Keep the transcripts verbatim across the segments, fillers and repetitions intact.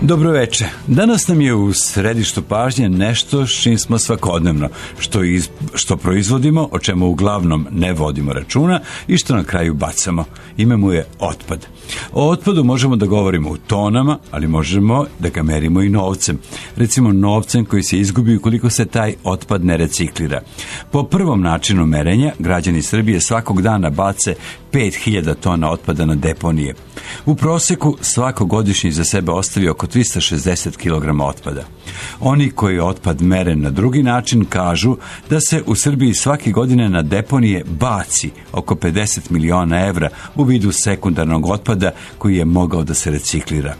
Dobro veče. Danas nam je u središtu pažnje nešto s čim smo svakodnevno, što, iz, što proizvodimo, o čemu uglavnom ne vodimo računa i što na kraju bacamo. Ime mu je otpad. O otpadu možemo da govorimo u tonama, ali možemo da ga merimo i novcem. Recimo novcem koji se izgubi ukoliko se taj otpad ne reciklira. Po prvom načinu merenja, građani Srbije svakog dana bace pet hiljada tona otpada na deponije. U proseku svako godišnje za sebe ostavi oko trista šezdeset kilograma otpada. Oni koji otpad mere na drugi način kažu da se u Srbiji svake godine na deponije baci oko pedeset miliona evra u vidu sekundarnog otpada koji je mogao da se reciklira.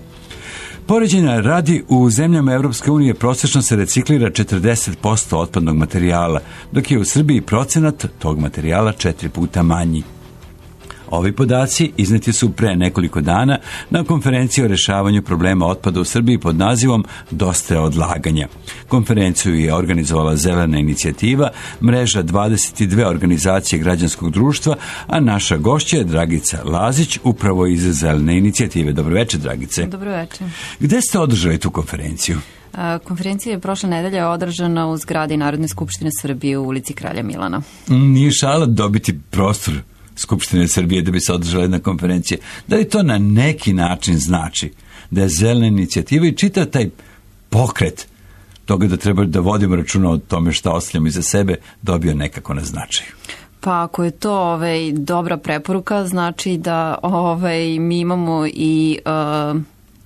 Poređenja radi, u zemljama Evropske unije prosečno se reciklira četrdeset posto otpadnog materijala, dok je u Srbiji procenat tog materijala četiri puta manji. Ovi podaci izneti su pre nekoliko dana na konferenciji o rešavanju problema otpada u Srbiji pod nazivom Dosta je odlaganja. Konferenciju je organizovala Zelena inicijativa, mreža dvadeset dve organizacije građanskog društva, a naša gošća je Dragica Lazić, upravo iz Zelene inicijative. Dobro večer, Dragice. Dobro večer. Gde ste održali tu konferenciju? Konferencija je prošle nedelje održana u zgradi Narodne skupštine Srbije u ulici Kralja Milana. Nije šala dobiti prostor Skupštine Srbije da bi se održala jedna konferencija. Da li to na neki način znači da je Zelena inicijativa i čita taj pokret toga da treba da vodimo računa o tome šta ostavljamo iza sebe dobio nekako na značaju? Pa ako je to ovaj, dobra preporuka, znači da ovaj, mi imamo i uh,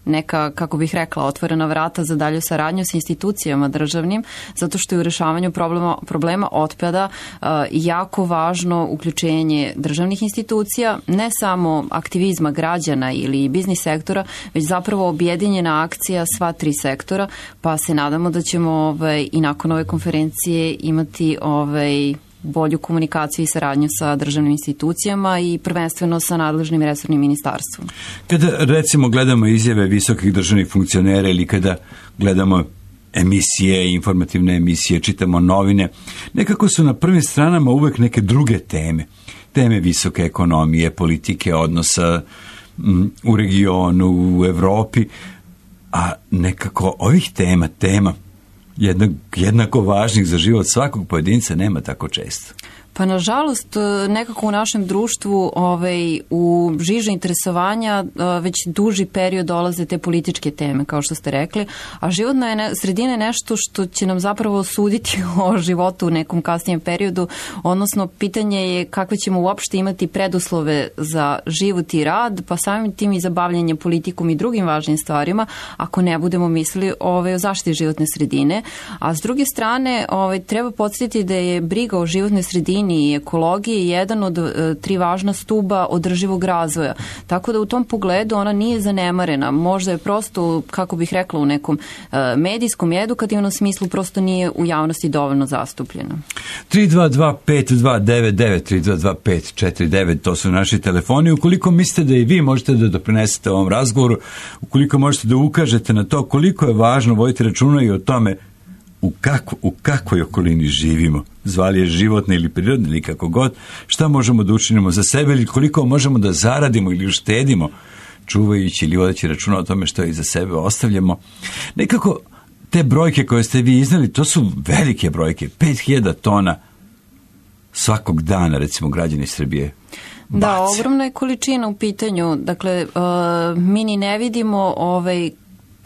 neka, kako bih rekla, otvorena vrata za dalju saradnju sa institucijama državnim, zato što je u rešavanju problema, problema otpada uh, jako važno uključenje državnih institucija, ne samo aktivizma građana ili biznis sektora, već zapravo objedinjena akcija sva tri sektora, pa se nadamo da ćemo ovaj, i nakon ove konferencije imati ovaj, bolju komunikaciju i saradnju sa državnim institucijama i prvenstveno sa nadležnim resornim ministarstvom. Kada recimo gledamo izjave visokih državnih funkcionera ili kada gledamo emisije, informativne emisije, čitamo novine, nekako su na prvim stranama uvek neke druge teme. Teme visoke ekonomije, politike, odnosa m, u regionu, u Evropi, a nekako ovih tema, tema Jednak, jednako važnih za život svakog pojedinca nema tako često. Pa nažalost, nekako u našem društvu ovaj, u žiže interesovanja već duži period dolaze te političke teme, kao što ste rekli, a životna je ne, sredina je nešto što će nam zapravo suditi o životu u nekom kasnijem periodu, odnosno pitanje je kakve ćemo uopšte imati preduslove za život i rad, pa samim tim i za bavljanje politikom i drugim važnim stvarima, ako ne budemo mislili ovaj, o zaštiti životne sredine. A s druge strane, ovaj, treba podsjetiti da je briga o životnoj sredini i ekologiji jedan od e, tri važna stuba održivog razvoja. Tako da u tom pogledu ona nije zanemarena. Možda je prosto, kako bih rekla, u nekom e, medijskom i edukativnom smislu prosto nije u javnosti dovoljno zastupljena. tri dva dva pet dva devet devet, tri dva dva pet četiri devet, to su naši telefoni. Ukoliko mislite da i vi možete da doprinesete ovom razgovoru, ukoliko možete da ukažete na to koliko je važno voditi računa i o tome U, kako, u kakvoj okolini živimo, zvali je životne ili prirodne ili kako god, šta možemo da učinimo za sebe ili koliko možemo da zaradimo ili uštedimo, čuvajući ili vodeći računa o tome što iza sebe ostavljamo. Nekako te brojke koje ste vi iznali, to su velike brojke, pet hiljada tona svakog dana, recimo, građani Srbije bace. Da, ogromna je količina u pitanju, dakle, uh, mi ni ne vidimo ovaj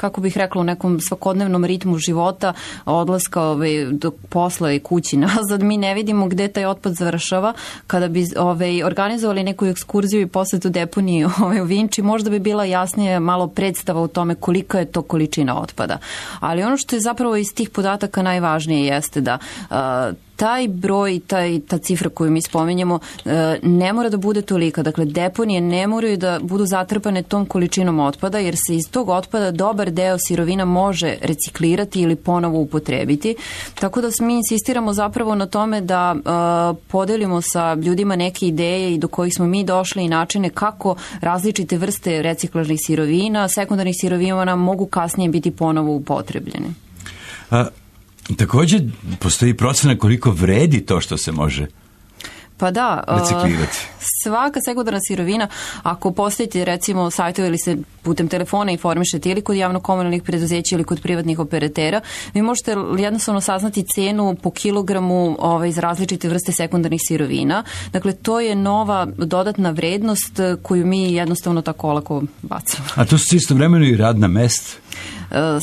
kako bih rekla, u nekom svakodnevnom ritmu života, odlaska ovaj, do posla i kući nazad, mi ne vidimo gde taj otpad završava. Kada bi ovaj, organizovali neku ekskurziju i posetu deponiji ovaj, u Vinči, možda bi bila jasnije malo predstava u tome kolika je to količina otpada. Ali ono što je zapravo iz tih podataka najvažnije jeste da uh, taj broj, taj, ta cifra koju mi spominjemo ne mora da bude tolika. Dakle, deponije ne moraju da budu zatrpane tom količinom otpada, jer se iz tog otpada dobar deo sirovina može reciklirati ili ponovo upotrebiti. Tako da mi insistiramo zapravo na tome da uh, podelimo sa ljudima neke ideje i do kojih smo mi došli i načine kako različite vrste reciklažnih sirovina, sekundarnih sirovina mogu kasnije biti ponovo upotrebljene. A također, postoji procena koliko vredi to što se može Pa da, reciklirati. svaka sekundarna sirovina, ako postavite recimo sajtove ili se putem telefona informišete ili kod javno-komunalnih preduzeća ili kod privatnih operatera, vi možete jednostavno saznati cenu po kilogramu ovaj, iz različite vrste sekundarnih sirovina. Dakle, to je nova dodatna vrednost koju mi jednostavno tako olako bacamo. A to su istovremeno i radna mesta?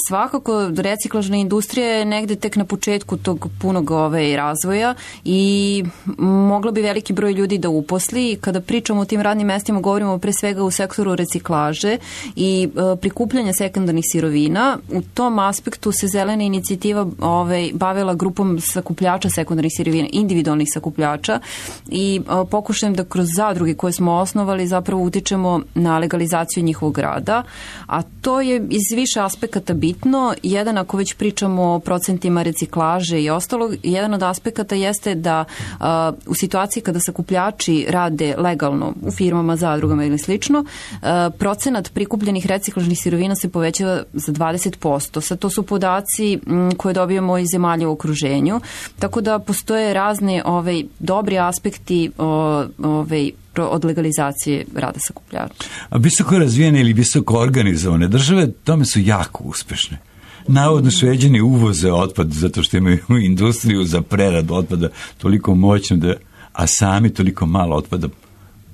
Svakako, reciklažna industrija je negde tek na početku tog punog ovaj, razvoja i moglo bi veliki broj ljudi da uposli. Kada pričamo o tim radnim mestima, govorimo pre svega u sektoru reciklaže i e, prikupljanja sekundarnih sirovina. U tom aspektu se zelena inicijativa ovaj, bavila grupom sakupljača sekundarnih sirovina, individualnih sakupljača i e, pokušajem da kroz zadruge koje smo osnovali zapravo utičemo na legalizaciju njihovog rada, a to je iz više aspekata bitno. Jedan, ako već pričamo o procentima reciklaže i ostalog, jedan od aspekata jeste da a, u situaciji kada sakupljači rade legalno u firmama, zadrugama ili slično, a, procenat prikupljenih reciklažnih sirovina se povećava za dvadeset posto. Sad to su podaci m, koje dobijamo iz zemalja u okruženju, tako da postoje razne ovaj, dobri aspekti o, ovaj, od legalizacije rada sakupljača. A visoko razvijene ili visoko organizovane države tome su jako uspešne. Navodno Šveđani uvoze otpad zato što imaju industriju za preradu otpada toliko moćno da, a sami toliko malo otpada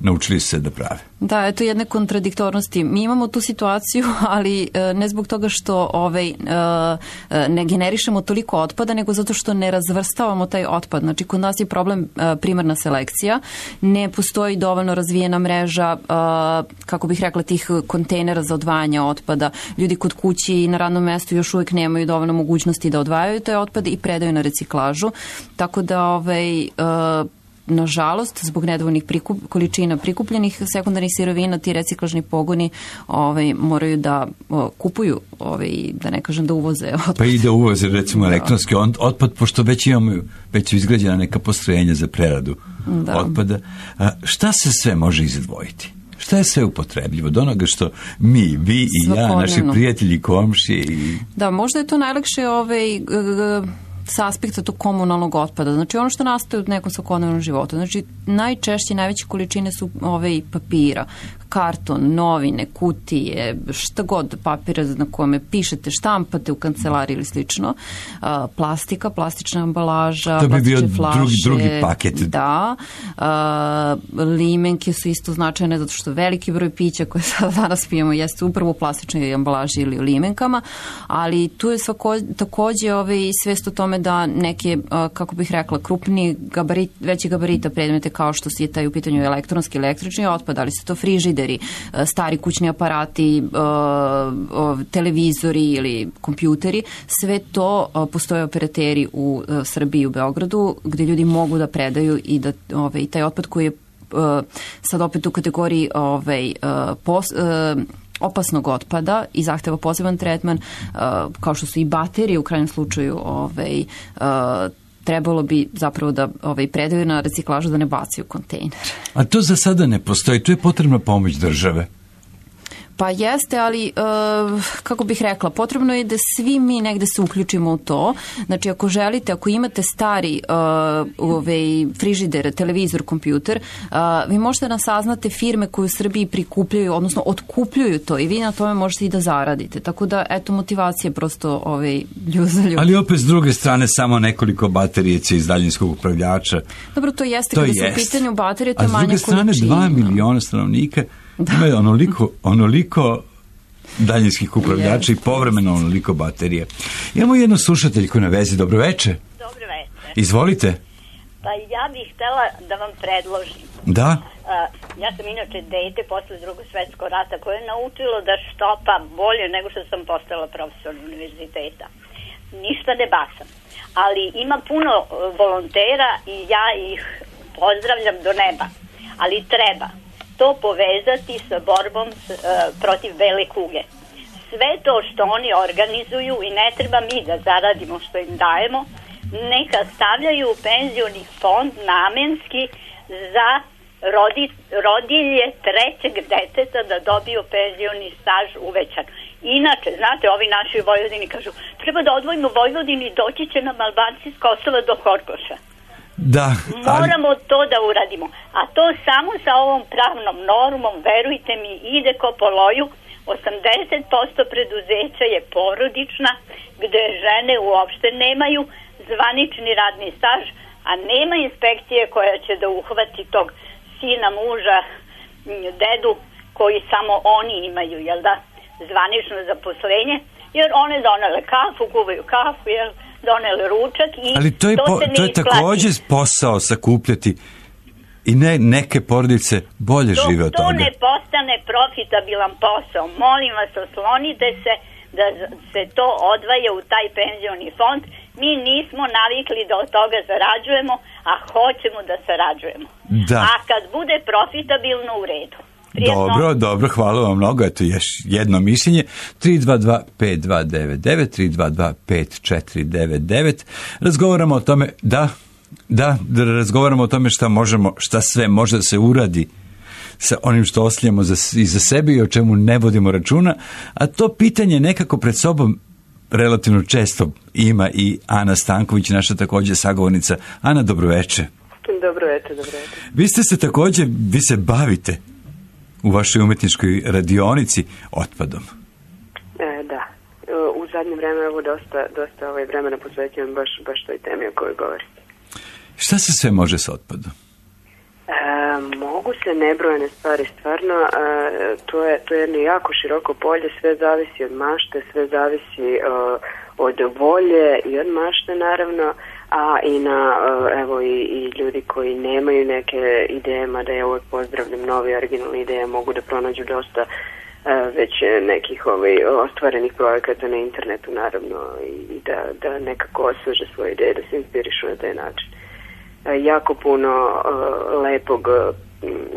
naučili se da prave. Da, eto jedne kontradiktornosti. Mi imamo tu situaciju, ali ne zbog toga što ovaj, ne generišemo toliko otpada, nego zato što ne razvrstavamo taj otpad. Znači, kod nas je problem primarna selekcija. Ne postoji dovoljno razvijena mreža, kako bih rekla, tih kontejnera za odvajanje otpada. Ljudi kod kući i na radnom mestu još uvijek nemaju dovoljno mogućnosti da odvajaju taj otpad i predaju na reciklažu. Tako da ovaj, nažalost, zbog nedovoljnih prikup, količina prikupljenih sekundarnih sirovina, ti reciklažni pogoni ovaj, moraju da o, kupuju, ovaj, da ne kažem da uvoze otpad. Pa i da uvoze, recimo, elektronski otpad, pošto već imamo, već su izgrađena neka postrojenja za preradu da. otpada. A, šta se sve može izdvojiti? Šta je sve upotrebljivo? Do onoga što mi, vi i ja, naši prijatelji, komšije i... Da, možda je to najlakše ovaj... G- g- sa aspekta tog komunalnog otpada. Znači ono što nastaje u nekom svakodnevnom životu. Znači najčešće, najveće količine su ove papira, karton, novine, kutije, šta god papira na kome pišete, štampate u kancelariji ili slično. A, plastika, plastična ambalaža, to bi bio plastične flaše. Drugi, drugi paket. Da. A, limenke su isto značajne zato što veliki broj pića koje sad danas pijemo jeste upravo u plastičnoj ambalaži ili u limenkama, ali tu je svako, takođe ove, svest o tome da neke, kako bih rekla, krupni gabarit, veći gabarita predmete kao što je taj u pitanju elektronski, električni otpad, ali su to frižideri, stari kućni aparati, televizori ili kompjuteri, sve to postoje operateri u Srbiji, u Beogradu, gde ljudi mogu da predaju i da ovaj, taj otpad koji je sad opet u kategoriji ovaj, pos, opasnog otpada i zahteva poseban tretman, kao što su i baterije u krajnjem slučaju, ovaj, trebalo bi zapravo da ovaj, predaju na reciklažu, da ne bacaju kontejner. A to za sada ne postoji, tu je potrebna pomoć države. Pa jeste, ali uh, kako bih rekla, potrebno je da svi mi negde se uključimo u to. Znači, ako želite, ako imate stari uh, ovaj, frižider, televizor, kompjuter, uh, vi možete da saznate firme koje u Srbiji prikupljaju, odnosno otkupljuju to i vi na tome možete i da zaradite. Tako da, eto, motivacija je prosto ovaj, ljud za ljud. Ali opet s druge strane samo nekoliko baterijeca iz daljinskog upravljača. Dobro, to jeste, to kada jest. su u pitanju baterije, to je manja količina. A s druge strane, dva miliona stanovnika da. Imaju onoliko, onoliko daljinskih upravljača yes. i povremeno onoliko baterije. Imamo jednu slušateljku na vezi. Dobro veče. Dobro veče. Izvolite. Pa ja bih htela da vam predložim. Da. Uh, ja sam inače dete posle drugog svetskog rata koje je naučilo da štopa bolje nego što sam postala profesor univerziteta. Ništa ne bacam. Ali ima puno volontera i ja ih pozdravljam do neba. Ali treba to povezati sa borbom uh, protiv bele kuge. Sve to što oni organizuju i ne treba mi da zaradimo što im dajemo, neka stavljaju u penzioni fond namenski za rodi, rodilje trećeg deteta da dobiju penzioni staž uvećan. Inače, znate, ovi naši Vojvodini kažu, treba da odvojimo Vojvodini, doći će nam Albanci s Kosova do Horgoša. Da, ali... Moramo to da uradimo. A to samo sa ovom pravnom normom, verujte mi, ide ko po loju. osamdeset posto preduzeća je porodična, gde žene uopšte nemaju zvanični radni staž, a nema inspekcije koja će da uhvati tog sina, muža, dedu, koji samo oni imaju, jel da, zvanično zaposlenje, jer one donele kafu, kuvaju kafu, jel, donele ručak i ali to je, to po, se ne to je takođe posao sakupljati i ne, neke porodice bolje Dok žive od to toga. ne postane profitabilan posao, molim vas, oslonite se da se to odvaja u taj penzioni fond. Mi nismo navikli da od toga zarađujemo, a hoćemo da sarađujemo. Da. A kad bude profitabilno, u redu. Prijetno. Dobro, dobro, hvala vam mnogo. Eto još jedno mišljenje. tri dva dva pet dva devet devet, tri dva dva pet četiri devet devet. Razgovaramo o tome, da, da, da razgovaramo o tome šta možemo, šta sve može da se uradi sa onim što ostavljamo za, i za sebe i o čemu ne vodimo računa, a to pitanje nekako pred sobom relativno često ima i Ana Stanković, naša također sagovornica. Ana, dobroveče. Dobroveče, dobroveče. Vi ste se također, vi se bavite u vašoj umetničkoj radionici otpadom. E, da. U zadnje vreme evo dosta, dosta ovaj vremena posvećujem baš, baš toj temi o kojoj govorite. Šta se sve može s otpadom? E, mogu se nebrojene stvari, stvarno. E, to, je, to je jedno jako široko polje, sve zavisi od mašte, sve zavisi e, od volje i od mašte naravno, a i na, evo, i, i ljudi koji nemaju neke ideje, mada ja uvek pozdravljam nove originalne ideje, mogu da pronađu dosta već nekih ovaj, ostvarenih projekata na internetu, naravno, i da, da nekako osveže svoje ideje, da se inspirišu na taj način. Jako puno uh, lepog uh,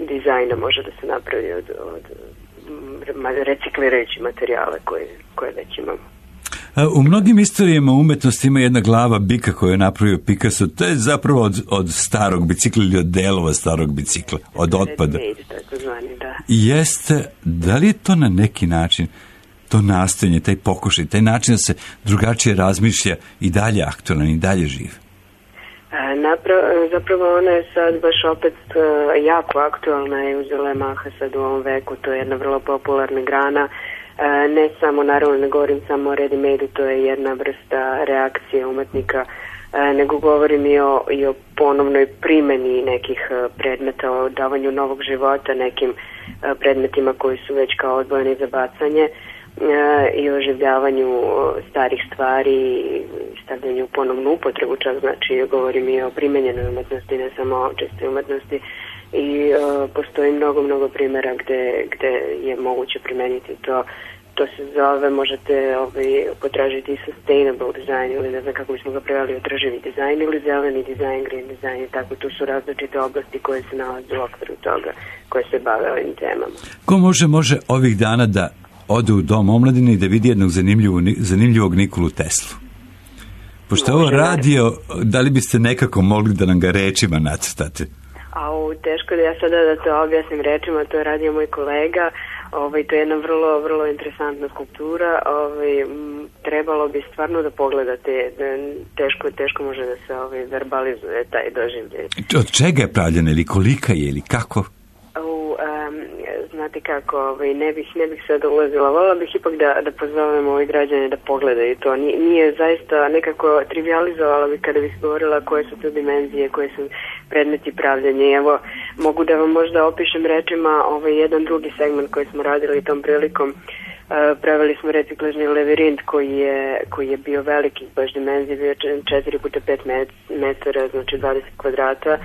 dizajna može da se napravi od, od reciklirajućih materijala koje, koje već imamo. U mnogim istorijama umetnosti ima jedna glava bika koju je napravio Picasso. To je zapravo od, od starog bicikla ili od delova starog bicikla, od otpada. Da. Jeste, da li je to na neki način, to nastojanje, taj pokušaj, taj način da se drugačije razmišlja i dalje aktualan i dalje živ? Napravo, zapravo ona je sad baš opet uh, jako aktualna i uzela je maha sad u ovom veku. To je jedna vrlo popularna grana. Uh, ne samo, naravno ne govorim samo o ready-made-u, to je jedna vrsta reakcije umetnika, uh, nego govorim i o, i o ponovnoj primjeni nekih uh, predmeta, o davanju novog života nekim uh, predmetima koji su već kao odvojeni za bacanje. I oživljavanju starih stvari, stavljanju u ponovnu upotrebu, čak znači govorim i o primenjenoj umetnosti, ne samo o čistoj umetnosti, i uh, postoji mnogo, mnogo primjera gde, gde je moguće primeniti to. To se zove, možete ovaj, potražiti sustainable design, ili ne znam kako bismo ga preveli, održivi dizajn ili zeleni dizajn, green dizajn i tako. Tu su različite oblasti koje se nalaze u okviru toga, koje se bave ovim temama. Ko može, može ovih dana da ode u dom omladine i da vidi jednog zanimljivog, zanimljivog Nikolu Teslu? Pošto je ovo radio, da li biste nekako mogli da nam ga rečima nacrtate? A u teško da ja sada da to objasnim rečima, to je radio moj kolega. Ovaj, to je jedna vrlo, vrlo interesantna skulptura. Ovaj, m, trebalo bi stvarno da pogledate. Teško, teško može da se ovaj, verbalizuje taj doživljaj. Od čega je pravljena ili kolika je ili kako? U, um, znate kako, ovaj, ne bih, ne bih sad ulazila. Volila bih ipak da, da pozovemo ovi građane da pogledaju to. Nije, nije zaista nekako trivializovala bih kada bih govorila koje su to dimenzije, koje su predmeti pravljanja. Evo, mogu da vam možda opišem rečima ovaj jedan drugi segment koji smo radili tom prilikom. Uh, pravili smo reciklažni lavirint koji je, koji je bio veliki, baš dimenzije, bio četiri puta pet metara, znači dvadeset kvadrata,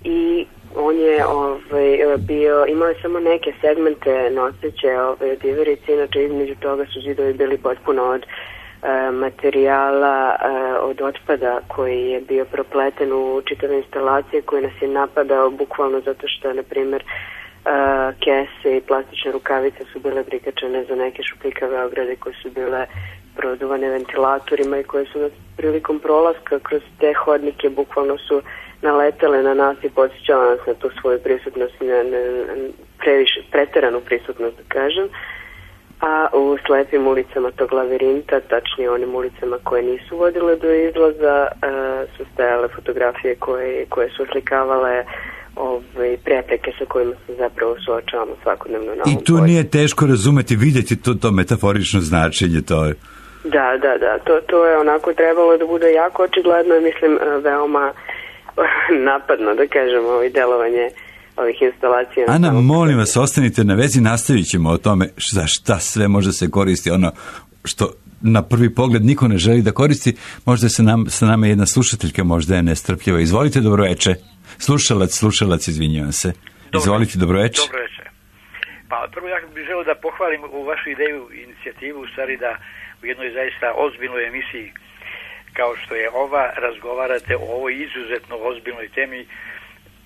i on je ovaj, bio, imao je samo neke segmente noseće ovaj, od iverice, inače između toga su zidovi bili potpuno od uh, materijala, uh, od otpada koji je bio propleten u čitave instalacije, koji nas je napadao bukvalno zato što, na primjer, uh, kese i plastične rukavice su bile prikačene za neke šupljikave ograde koje su bile produvane ventilatorima i koje su nas prilikom prolaska kroz te hodnike bukvalno su naletele na nas i podsjećala nas na tu svoju prisutnost, na, na, previše, preteranu prisutnost, da kažem. a u slepim ulicama tog lavirinta, tačnije onim ulicama koje nisu vodile do izlaza, su stajale fotografije koje, koje su oslikavale ove prepreke sa kojima se zapravo suočavamo svakodnevno na ovom I tu nije teško razumeti, vidjeti to, to metaforično značenje, to je. Da, da, da, to, to je onako trebalo da bude jako očigledno i mislim veoma napadno, da kažemo, ovo delovanje ovih instalacija. Ana, molim vas, ostanite na vezi, nastavit ćemo o tome za šta sve može se koristi, ono što na prvi pogled niko ne želi da koristi. Možda se nam, sa nama jedna slušateljka, možda je nestrpljiva. Izvolite, dobroveče. Slušalac, slušalac, izvinjavam se. Izvolite, dobroveče. Dobroveče. Pa prvo ja bih želeo da pohvalim u vašu ideju, inicijativu, u stvari da u jednoj zaista ozbiljnoj emisiji kao što je ova, razgovarate o ovoj izuzetno ozbiljnoj temi.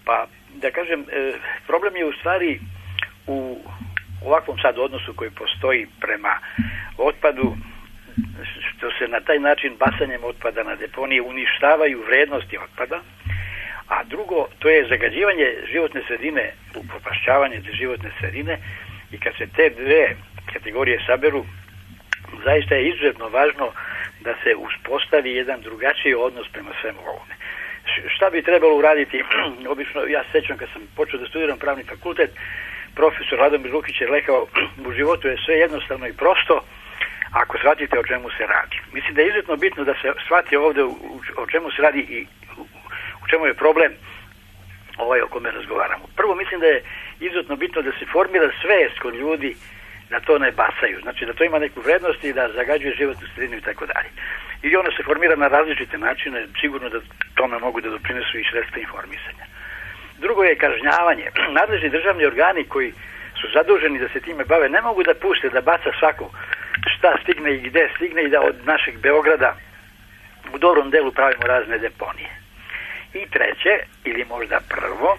Pa da kažem, problem je u stvari u ovakvom sad odnosu koji postoji prema otpadu, što se na taj način bacanjem otpada na deponije uništavaju vrednosti otpada, a drugo, to je zagađivanje životne sredine, upropašćavanje životne sredine, i kad se te dve kategorije saberu, zaista je izuzetno važno da se uspostavi jedan drugačiji odnos prema svemu ovome. Šta bi trebalo uraditi? Obično, ja se sjećam kad sam počeo da studiram pravni fakultet, profesor Radomir Lukić je rekao, u životu je sve jednostavno i prosto ako shvatite o čemu se radi. Mislim da je izuzetno bitno da se shvati ovdje o čemu se radi i u čemu je problem ovaj o kome razgovaramo. Prvo, mislim da je izuzetno bitno da se formira svest kod ljudi da to ne bacaju. Znači da to ima neku vrednost i da zagađuje životnu sredinu i tako dalje. I ono se formira na različite načine, sigurno da tome mogu da doprinesu i sredstva informisanja. Drugo je kažnjavanje. Nadležni državni organi koji su zaduženi da se time bave ne mogu da puste da baca svako šta stigne i gde stigne i da od našeg Beograda u dobrom delu pravimo razne deponije. I treće, ili možda prvo,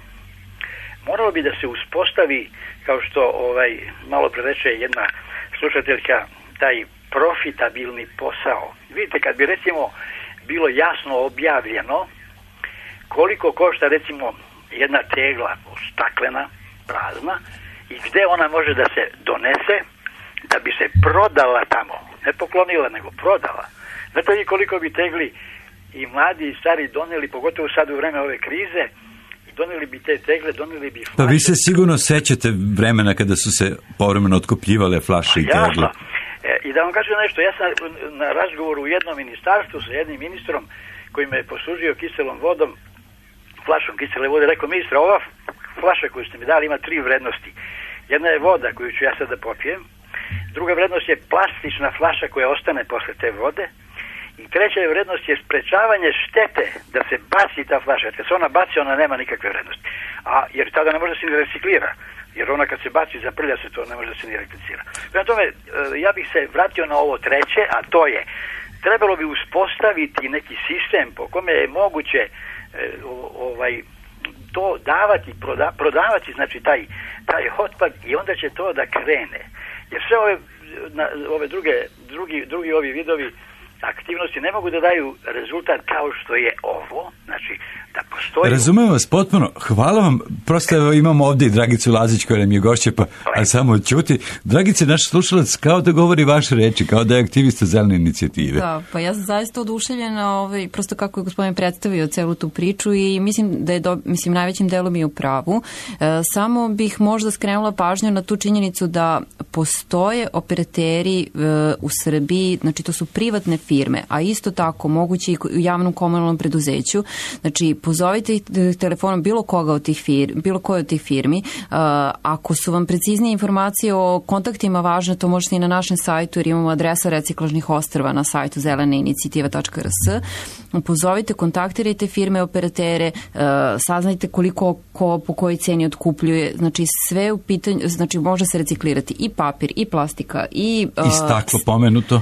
moralo bi da se uspostavi, kao što ovaj malo pre reče jedna slušateljka, taj profitabilni posao. Vidite, kad bi recimo bilo jasno objavljeno koliko košta recimo jedna tegla staklena, prazna, i gde ona može da se donese da bi se prodala tamo, ne poklonila nego prodala. Znate li koliko bi tegli i mladi i stari doneli, pogotovo sad u vreme ove krize, doneli bi te tegle, doneli bi flaše. Pa vi se sigurno sećate vremena kada su se povremeno otkupljivale flaše i tegle. E, I da vam kažem nešto, ja sam na razgovoru u jednom ministarstvu sa jednim ministrom koji me je poslužio kiselom vodom, flašom kisele vode, rekao: ministra, ova flaša koju ste mi dali ima tri vrednosti. Jedna je voda koju ću ja sad da popijem, druga vrednost je plastična flaša koja ostane posle te vode, i treća je vrednost je sprečavanje štete da se baci ta flaša. Kad se ona baci, ona nema nikakve vrednosti. A, jer tada ne može da se ni reciklira. Jer ona kad se baci, zaprlja se, to ne može da se ni replicira. Prema tome, ja bih se vratio na ovo treće, a to je, trebalo bi uspostaviti neki sistem po kome je moguće ovaj, to davati, proda, prodavati, znači taj, taj otpad, i onda će to da krene. Jer sve ove, na, ove druge, drugi, drugi ovi vidovi aktivnosti ne mogu da daju rezultat kao što je ovo, znači da postoji... Razumem vas potpuno, hvala vam, prosto evo, imamo ovdje i Dragicu Lazić koja nam je gošća, pa a samo čuti. Dragice, naš slušalac kao da govori vaše reči, kao da je aktivista zelene inicijative. Da, pa ja sam zaista oduševljena, ovaj, prosto kako je gospodin predstavio celu tu priču, i mislim da je, do, mislim, najvećim delom je u pravu. E, samo bih možda skrenula pažnju na tu činjenicu da postoje operateri e, u Srbiji, znači to su privatne firme, a isto tako moguće i u javnom komunalnom preduzeću. Znači, pozovite telefonom bilo koga od tih firmi, bilo koje od tih firmi. Uh, ako su vam preciznije informacije o kontaktima važne, to možete i na našem sajtu, jer imamo adresa reciklažnih ostrva na sajtu zelene inicijativa tačka r s. Pozovite, kontaktirajte firme, operatere, uh, saznajte koliko ko po kojoj ceni otkupljuje. Znači, sve u pitanju, znači može se reciklirati i papir, i plastika, i... Uh, I staklo pomenuto. Uh,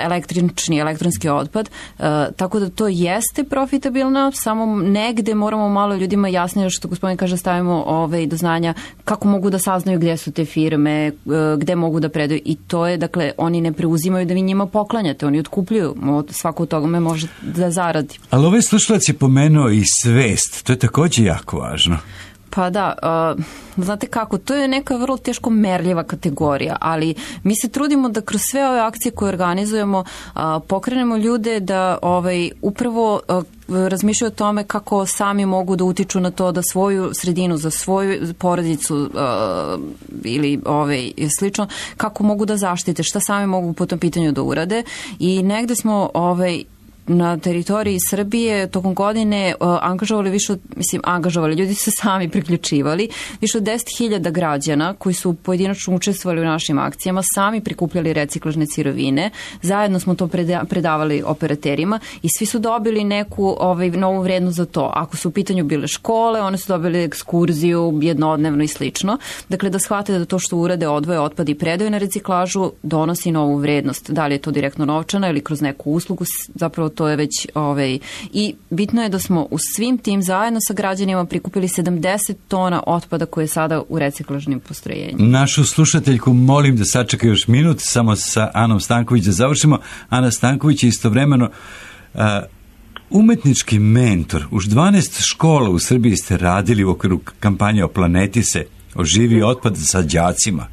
električni, elektronski otpad. Uh, tako da to jeste profitabilno, samo negde moramo malo ljudima jasnije, što gospodin kaže, stavimo ove do znanja kako mogu da saznaju gdje su te firme, gdje mogu da predaju, i to je, dakle, oni ne preuzimaju da vi njima poklanjate, oni otkupljuju, svako od toga me može da zaradi. Ali ovaj slušalac je pomenuo i svest, to je također jako važno. Pa da, uh, znate kako, to je neka vrlo teško merljiva kategorija, ali mi se trudimo da kroz sve ove akcije koje organizujemo uh, pokrenemo ljude da ovaj, upravo uh, razmišljaju o tome kako sami mogu da utiču na to da svoju sredinu, za svoju porodicu uh, ili ovaj, slično, kako mogu da zaštite, šta sami mogu po tom pitanju da urade i negde smo ovaj, na teritoriji Srbije tokom godine uh, angažovali više od, mislim, angažovali, ljudi su se sami priključivali, više od deset hiljada građana koji su pojedinačno učestvovali u našim akcijama, sami prikupljali reciklažne sirovine, zajedno smo to preda, predavali operaterima i svi su dobili neku ovaj, novu vrednost za to. Ako su u pitanju bile škole, one su dobili ekskurziju jednodnevno i slično. Dakle, da shvate da to što urade, odvoje otpad i predaju na reciklažu, donosi novu vrednost. Da li je to direktno novčana ili kroz neku uslugu, zapravo to je već ovaj, i bitno je da smo u svim tim zajedno sa građanima prikupili sedamdeset tona otpada koje je sada u reciklažnim postrojenjima. Našu slušateljku molim da sačeka još minut samo sa Anom Stanković da završimo. Ana Stanković je istovremeno uh, umetnički mentor. Už dvanaest škola u Srbiji ste radili u okviru kampanje O planeti se, oživi otpad sa đacima.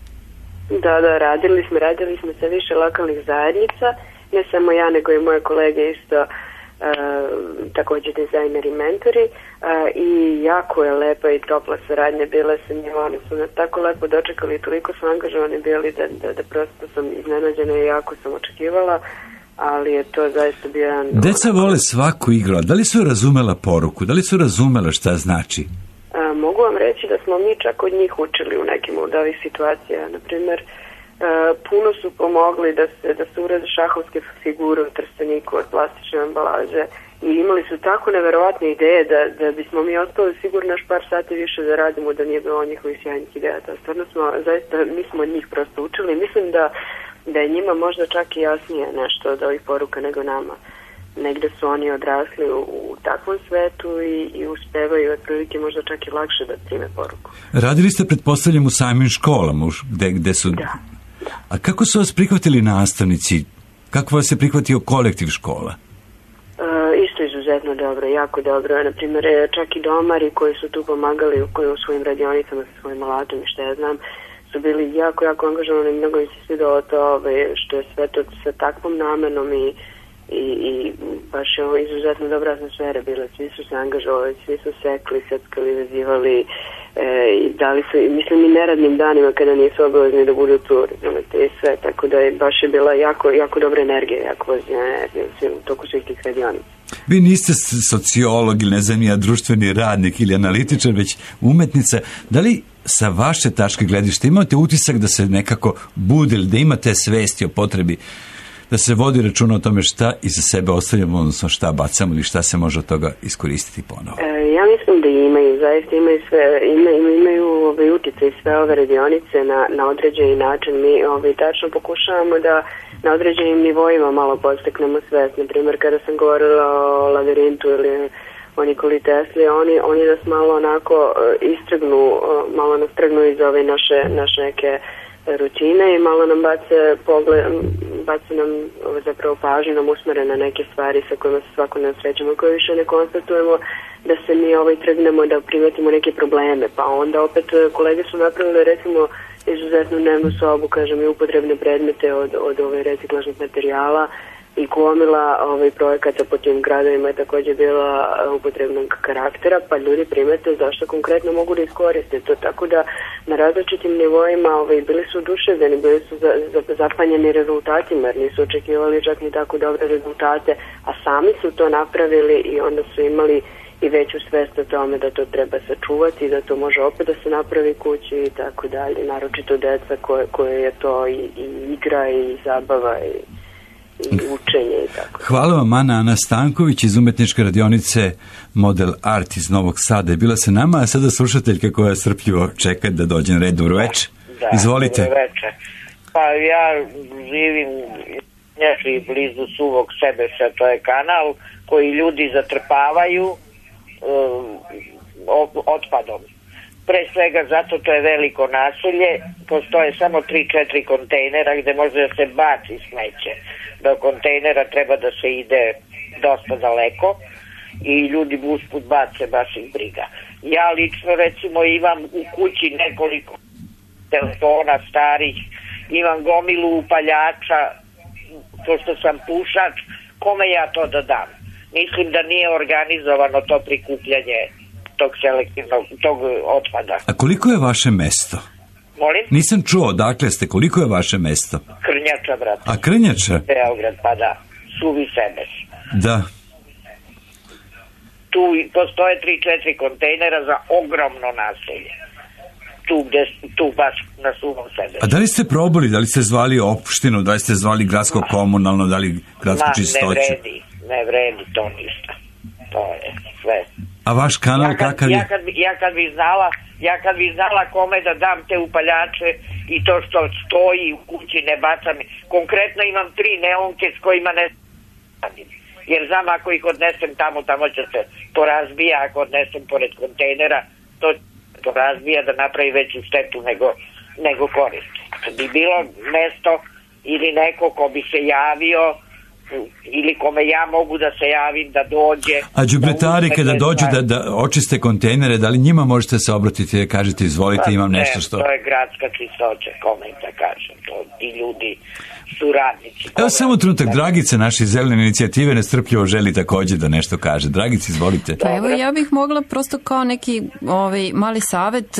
Da, da, radili smo, radili smo sa više lokalnih zajednica. Ne samo ja, nego i moje kolege isto uh, također dizajneri i mentori uh, i jako je lepa i topla saradnja bila sa njima, oni su nas tako lepo dočekali i toliko su angažovani bili da, da, da prosto sam iznenađena i jako sam očekivala, ali je to zaista bio jedan... Deca vole svaku igru, da li su razumela poruku, da li su razumela šta znači? Uh, mogu vam reći da smo mi čak od njih učili u nekim od ovih situacija, na primjer. Uh, puno su pomogli da se, da se urede šahovske figure u Trsteniku od plastične ambalaže i imali su tako neverovatne ideje da, da bismo mi ostali sigurno još par sati više da radimo da nije bilo njihovih sjajnih ideja. Da, stvarno smo, zaista, mi smo od njih prosto učili. Mislim da, da je njima možda čak i jasnije nešto od ovih poruka nego nama. Negde su oni odrasli u, u takvom svetu i, i uspevaju otprilike možda čak i lakše da prime poruku. Radili ste, pretpostavljam, u samim školama, gde, gde su... Da. A kako su vas prihvatili nastavnici? Kako vas je prihvatio kolektiv škola? E, isto izuzetno dobro, jako dobro. Naprimjer, čak i domari koji su tu pomagali koji u svojim radionicama sa svojim alatom i što ja znam, su bili jako, jako angažovani. Mnogo mi se svidalo to što je sve to sa takvom namenom i, i, i baš je ovo izuzetno dobra atmosfera bila. Svi su se angažovali, svi su sekli, seckali, vezivali, E, i dali su, mislim, i neradnim danima kada nisu obavezni da budu tu, razumete, i sve, tako da je baš je bila jako, jako dobra energija, jako pozitivna energija u toku svih tih radionica. Vi niste sociolog ili ne znam ja, društveni radnik ili analitičar, već umetnica. Da li sa vaše tačke gledišta imate utisak da se nekako budili, da imate svesti o potrebi da se vodi računa o tome šta iza sebe ostavljamo, odnosno šta bacamo ili šta se može od toga iskoristiti ponovo? E, ja mislim da imaju, zaista imaju sve, ima, imaju ovaj utjecaj i sve ove radionice na, na određeni način. Mi ovaj, tačno pokušavamo da na određenim nivoima malo posteknemo svest. Naprimjer, kada sam govorila o labirintu ili o Nikoli Tesli, oni, oni nas malo onako istrgnu, malo nas trgnu iz ove naše, naše neke rutine i malo nam bace pogled, bace nam zapravo pažnju, nam usmere na neke stvari sa kojima se svakodnevno srećemo, koje više ne konstatujemo, da se mi ovaj trgnemo da primetimo neke probleme, pa onda opet kolege su napravili recimo izuzetnu dnevnu sobu, kažem, i upotrebne predmete od, od ove reciklažnih materijala i gomila ovaj projekata po tim gradovima je također bila upotrebnog karaktera, pa ljudi primete zašto konkretno mogu da iskoriste to, tako da na različitim nivoima ovaj, bili su oduševljeni, bili su za, za, zapanjeni rezultatima, jer nisu očekivali čak ni tako dobre rezultate, a sami su to napravili i onda su imali i veću svest o tome da to treba sačuvati, da to može opet da se napravi kući i tako dalje, naročito deca koje, koje je to i, i igra i zabava i i učenje i tako. Hvala vam, Ana Ana Stanković iz umetničke radionice Model Art iz Novog Sada je bila sa nama, a sada slušateljka koja strpljivo čeka da dođe na red. Dobro večer. Da, izvolite. Dobro večer. Pa ja živim nešto blizu Suvog Sebeša, to je kanal koji ljudi zatrpavaju um, otpadom. Pre svega zato to je veliko naselje, postoje samo tri četiri kontejnera gde može da se baci smeće. Do kontejnera treba da se ide dosta daleko i ljudi usput bace, baš ih briga. Ja lično recimo imam u kući nekoliko telefona starih, imam gomilu upaljača, pošto sam pušač, kome ja to da dam? Mislim da nije organizovano to prikupljanje tog selektivnog, tog otpada. A koliko je vaše mesto? Molim? Nisam čuo, dakle ste, koliko je vaše mesto? Krnjača, brate. A Krnjača? Beograd, pa da. Suvi Sebeš. Da. Tu postoje tri četiri kontejnera za ogromno naselje. Tu, gde, tu baš na Suvom Sebeš. A da li ste probali, da li ste zvali opštinu, da li ste zvali gradsko komunalno, da li gradsku Ma, čistoću? ne vredi, ne vredi to ništa. To je sve. A vaš kanal ja kad, kakav je? Ja kad, ja kad bi znala, ja kad bi znala kome da dam te upaljače i to što stoji u kući ne bacam. Konkretno imam tri neonke s kojima ne radim. Jer znam ako ih odnesem tamo, tamo će se to razbija, ako odnesem pored kontejnera, to to razbija da napravi veću štetu nego, nego korist. Kad bi bilo mesto ili neko ko bi se javio ili kome ja mogu da se javim da dođe. A đubretari da kada dođu da, da očiste kontejnere, da li njima možete se obratiti i kažete izvolite, imam nešto što... Ne, to je gradska čistoća, kome da kažem, to ti ljudi su radnici. Evo samo trenutak, Dragica, naše zelene inicijative, nestrpljivo želi takođe da nešto kaže. Dragica, izvolite. Pa evo, ja bih mogla prosto kao neki ovaj, mali savet,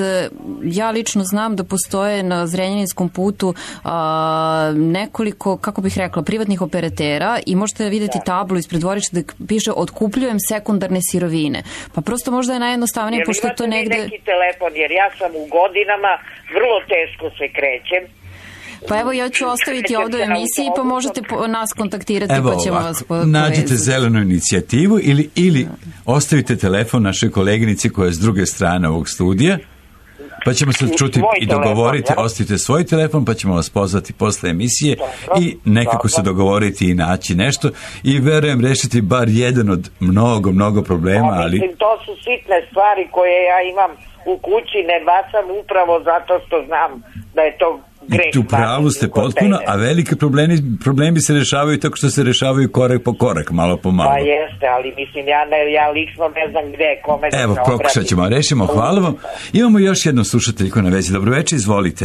ja lično znam da postoje na Zrenjaninskom putu a, nekoliko, kako bih rekla, privatnih operatera i možete vidjeti da. tablu ispred dvorišta da piše otkupljujem sekundarne sirovine. Pa prosto možda je najjednostavnije, jer pošto je to negde... Jer imate neki telefon, jer ja sam u godinama, vrlo teško se krećem. Pa evo, ja ću ostaviti ovdje u emisiji pa možete po, nas kontaktirati evo pa ćemo ovako, vas po, nađite povezati. zelenu inicijativu ili, ili ostavite telefon našoj koleginici koja je s druge strane ovog studija, pa ćemo se čuti svoj i dogovoriti, telefon, ja? Ostavite svoj telefon pa ćemo vas pozvati posle emisije dobro, i nekako dobro. se dogovoriti i naći nešto i verujem rešiti bar jedan od mnogo, mnogo problema. Ali... Mislim, to su sitne stvari koje ja imam u kući, ne bacam upravo zato što znam da je to greh. U pravu ste potpuno, a velike problemi, problemi se rešavaju tako što se rešavaju korak po korak, malo po malo. Pa jeste, ali mislim, ja, ne, ja lično ne znam gde, kome da se Evo, pokušat ćemo, rešimo, hvala vam. Imamo još jednu slušateljku na vezi. Dobro večer, izvolite.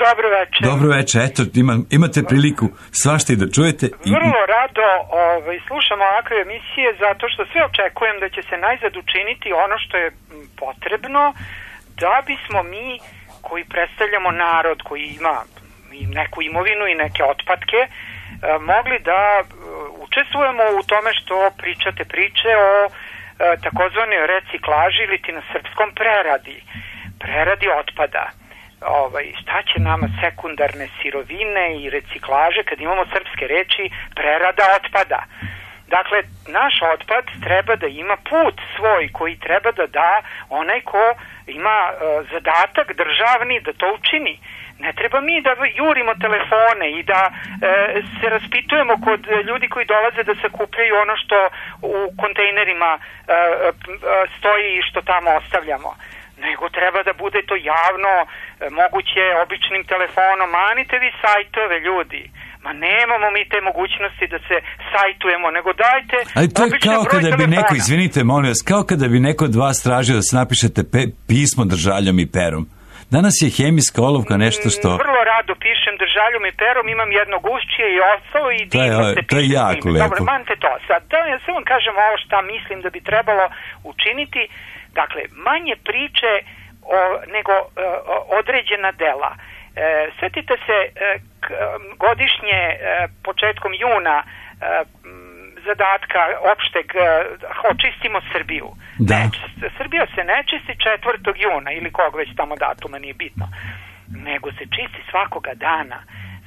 Dobro večer. Dobro večer, eto, ima, imate priliku svašta i da čujete. I... Vrlo rado ovaj, slušam ovakve emisije zato što sve očekujem da će se najzad učiniti ono što je potrebno da bismo mi koji predstavljamo narod koji ima neku imovinu i neke otpadke, mogli da učestvujemo u tome što pričate priče o takozvanoj reciklaži ili ti na srpskom preradi, preradi otpada. Ovaj, šta će nama sekundarne sirovine i reciklaže kad imamo srpske reči prerada otpada? Dakle, naš otpad treba da ima put svoj koji treba da da onaj ko ima uh, zadatak državni da to učini. Ne treba mi da jurimo telefone i da uh, se raspitujemo kod ljudi koji dolaze da sakupljaju ono što u kontejnerima uh, uh, stoji i što tamo ostavljamo. Nego treba da bude to javno, uh, moguće običnim telefonom. Manite vi sajtove, ljudi. Ma nemamo mi te mogućnosti da se sajtujemo, nego dajte ali to je kao kada telefona. bi neko, izvinite, molim vas, kao kada bi neko od vas tražio da se napišete pe, pismo držaljom i perom. Danas je hemijska olovka nešto što... Vrlo rado pišem držaljom i perom, imam jedno gušćije i ostalo i divno se pišem. To je jako lepo. Dobro, manite to. Sad, da ja sve vam kažem ovo šta mislim da bi trebalo učiniti. Dakle, manje priče o, nego o, određena dela. E, svetite se e, k, godišnje e, početkom juna e, zadatka opšteg e, očistimo Srbiju. Da. Ne, Srbija se ne čisti četvrtog juna ili kog već tamo datuma, nije bitno. Nego se čisti svakoga dana.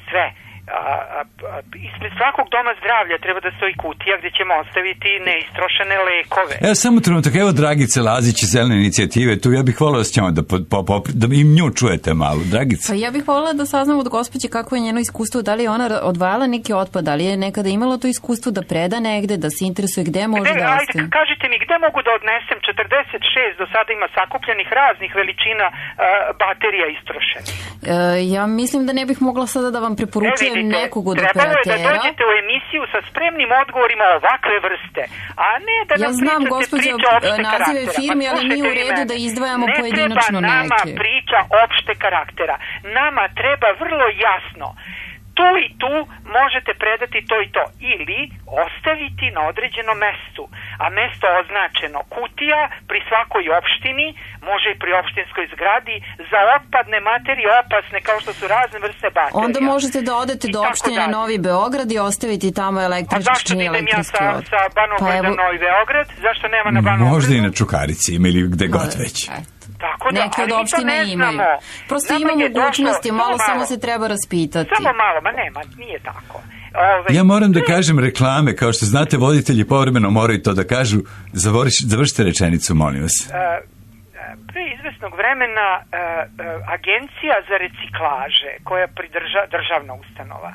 Sve. A, a, a, ispred svakog doma zdravlja treba da stoji kutija gde ćemo ostaviti neistrošene lekove. Evo samo trenutak, evo Dragice Lazić iz Zelene inicijative, tu ja bih volila s njom da, po, po, po, da im nju čujete malo. Dragice. Pa ja bih volila da saznam od gospođe kako je njeno iskustvo, da li je ona odvajala neki otpad, da li je nekada imala to iskustvo da preda negde, da se interesuje gde može gde, da ajde, ostaje. Kažite mi, gde mogu da odnesem četrdeset šest do sada ima sakupljenih raznih veličina uh, baterija istrošenih? E, ja mislim da ne bih mogla sada da vam preporučujem vidite, nekog od trebalo operatera. Trebalo je da dođete u emisiju emisiju sa spremnim odgovorima ovakve vrste, a ne da nam ja znam, pričate gospođo, priče opšte nazive karaktera. firmi, ali nije u redu da izdvajamo pojedinačno neke. Ne treba nama priča opšte karaktera. Nama treba vrlo jasno tu i tu možete predati to i to ili ostaviti na određenom mestu, a mesto označeno kutija pri svakoj opštini, može i pri opštinskoj zgradi za otpadne materije opasne kao što su razne vrste baterija. Onda možete da odete do opštine Novi Beograd i ostaviti tamo električni i elektrijski otpad. A zašto idem ja sa, sa Banovog pa, na Novi Beograd? Zašto nema na Banovog? Možda i na Čukarici ili gde god već. Tako da, neke od opštine imaju. Prosto ima mogućnosti, malo samo se treba raspitati. Samo malo, ma nema, nije tako. Ove, ja moram da kažem reklame, kao što znate, voditelji povremeno moraju to da kažu. Završite rečenicu, molim vas. Uh, pre izvesnog vremena uh, uh, Agencija za reciklaže, koja je pridrža, državna ustanova,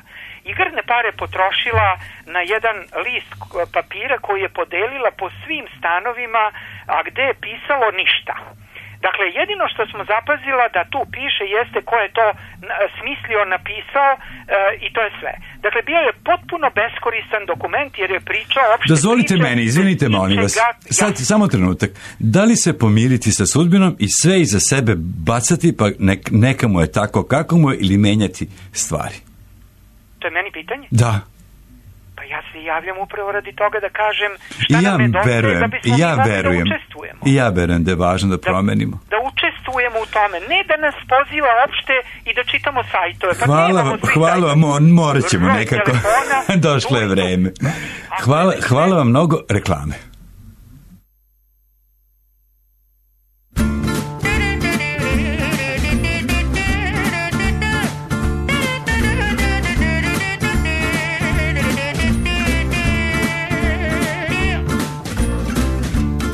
igrne pare potrošila na jedan list papira koji je podelila po svim stanovima, a gde je pisalo ništa. Dakle, jedino što smo zapazila da tu piše jeste ko je to smislio, napisao e, i to je sve. Dakle, bio je potpuno beskoristan dokument jer je pričao opšte Dozvolite priče, meni, izvinite molim vas, sad ja. Samo trenutak. Da li se pomiriti sa sudbinom i sve iza sebe bacati pa nek, neka mu je tako kako mu je ili menjati stvari? To je meni pitanje? Da. Pa ja se javljam upravo radi toga da kažem šta ja nam nedostaje verujem, da bismo ja mogli verujem, da učestvujemo. I ja verujem da je važno da, da promenimo. Da učestvujemo u tome, ne da nas poziva opšte i da čitamo sajtove. Pa hvala vam, hvala vam, morat ćemo nekako. Došlo je vreme. Hvala, hvala vam mnogo, reklame.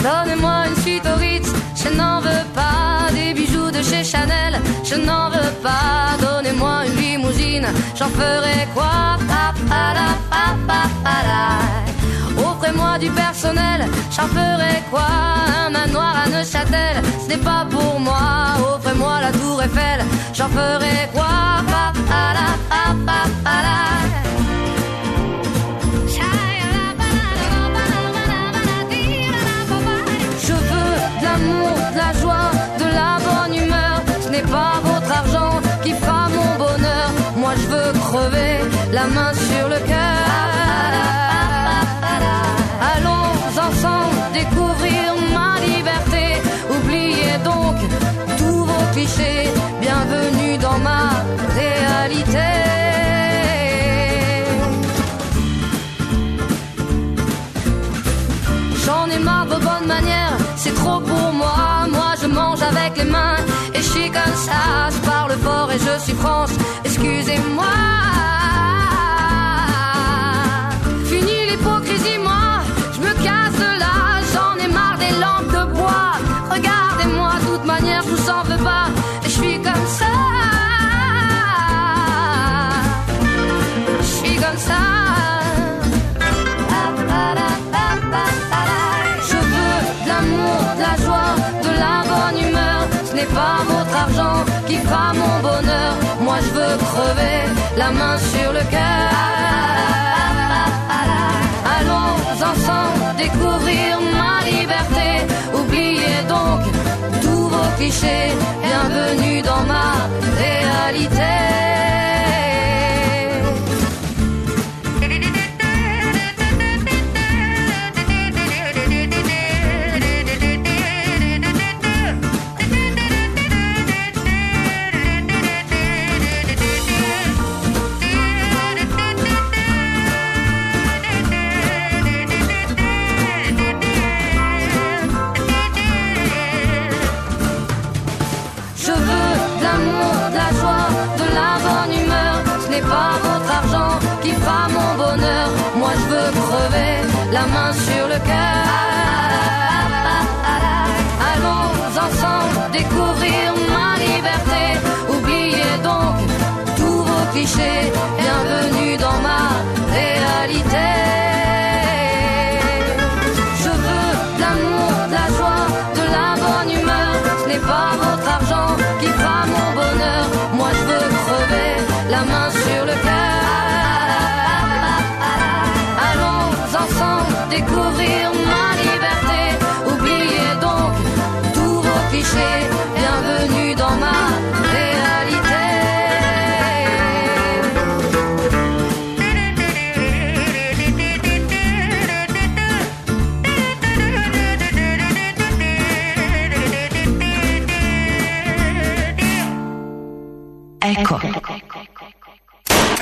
Donnez-moi une suite au Ritz, je n'en veux pas des bijoux de chez Chanel, je n'en veux pas. Donnez-moi une limousine, j'en ferai quoi? Pa, pa, la, pa, pa, pa, la. Offrez-moi du personnel, j'en ferai quoi? Un manoir à Neuchâtel, ce n'est pas pour moi. Offrez-moi la tour Eiffel, j'en ferai quoi? Pa, pa, la, pa, pa, pa, la. De la joie, de la bonne humeur, ce n'est pas votre argent qui fera mon bonheur. Moi je veux crever la main sur le cœur. Allons ensemble découvrir ma liberté. Oubliez donc tous vos clichés. Bienvenue dans ma réalité. J'en ai marre de vos bonnes manières, c'est trop pour moi. Moi je mange avec les mains et je suis comme ça. Je parle fort et je suis France, excusez-moi. Fini l'hypocrisie, moi je me casse de là. J'en ai marre des lampes de bois. Regardez-moi, de toute manière je vous en veux pas. Et je suis comme ça. Je suis comme ça. De la joie, de la bonne humeur, ce n'est pas votre argent qui fera mon bonheur. Moi je veux crever la main sur le cœur. Allons ensemble découvrir ma liberté. Oubliez donc tous vos clichés. Bienvenue dans ma réalité. Pas votre argent qui fera mon bonheur. Moi je veux crever la main sur le cœur. Allons ensemble découvrir ma liberté. Oubliez donc tous vos clichés. Bienvenue dans ma réalité. Je veux de l'amour, de la joie, de la bonne humeur. Ce n'est pas votre argent qui fera mon bonheur. Moi je veux crever la main sur le cœur. découvrir ma liberté. Oubliez donc tous vos clichés. Bienvenue dans ma réalité. Eko.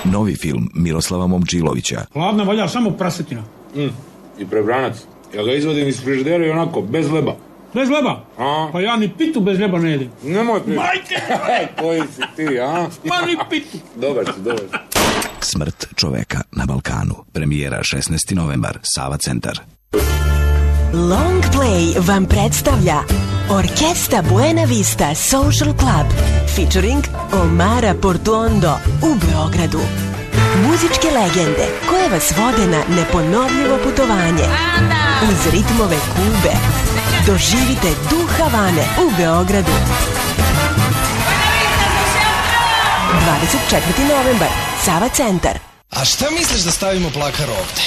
Novi film Miroslava Momčilovića. Hladna valja samo prasetina. Mm. I prebranac. Ja ga izvodim iz frižidera i onako, bez leba. Bez leba? A? Pa ja ni pitu bez leba ne jedim. Nemoj pitu. Majke! Koji si ti, a? Ma ni pitu. Dobar si, dobar si. Smrt čoveka na Balkanu. Premijera šesnaesti novembar. Sava centar. Long Play vam predstavlja Orkesta Buena Vista Social Club featuring Omara Portuondo u Beogradu. Muzičke legende koje vas vode na neponovljivo putovanje uz ritmove Kube. Doživite duh Havane u Beogradu. dvadeset četvrti novembar, Sava centar. A šta misliš da stavimo plakar ovde?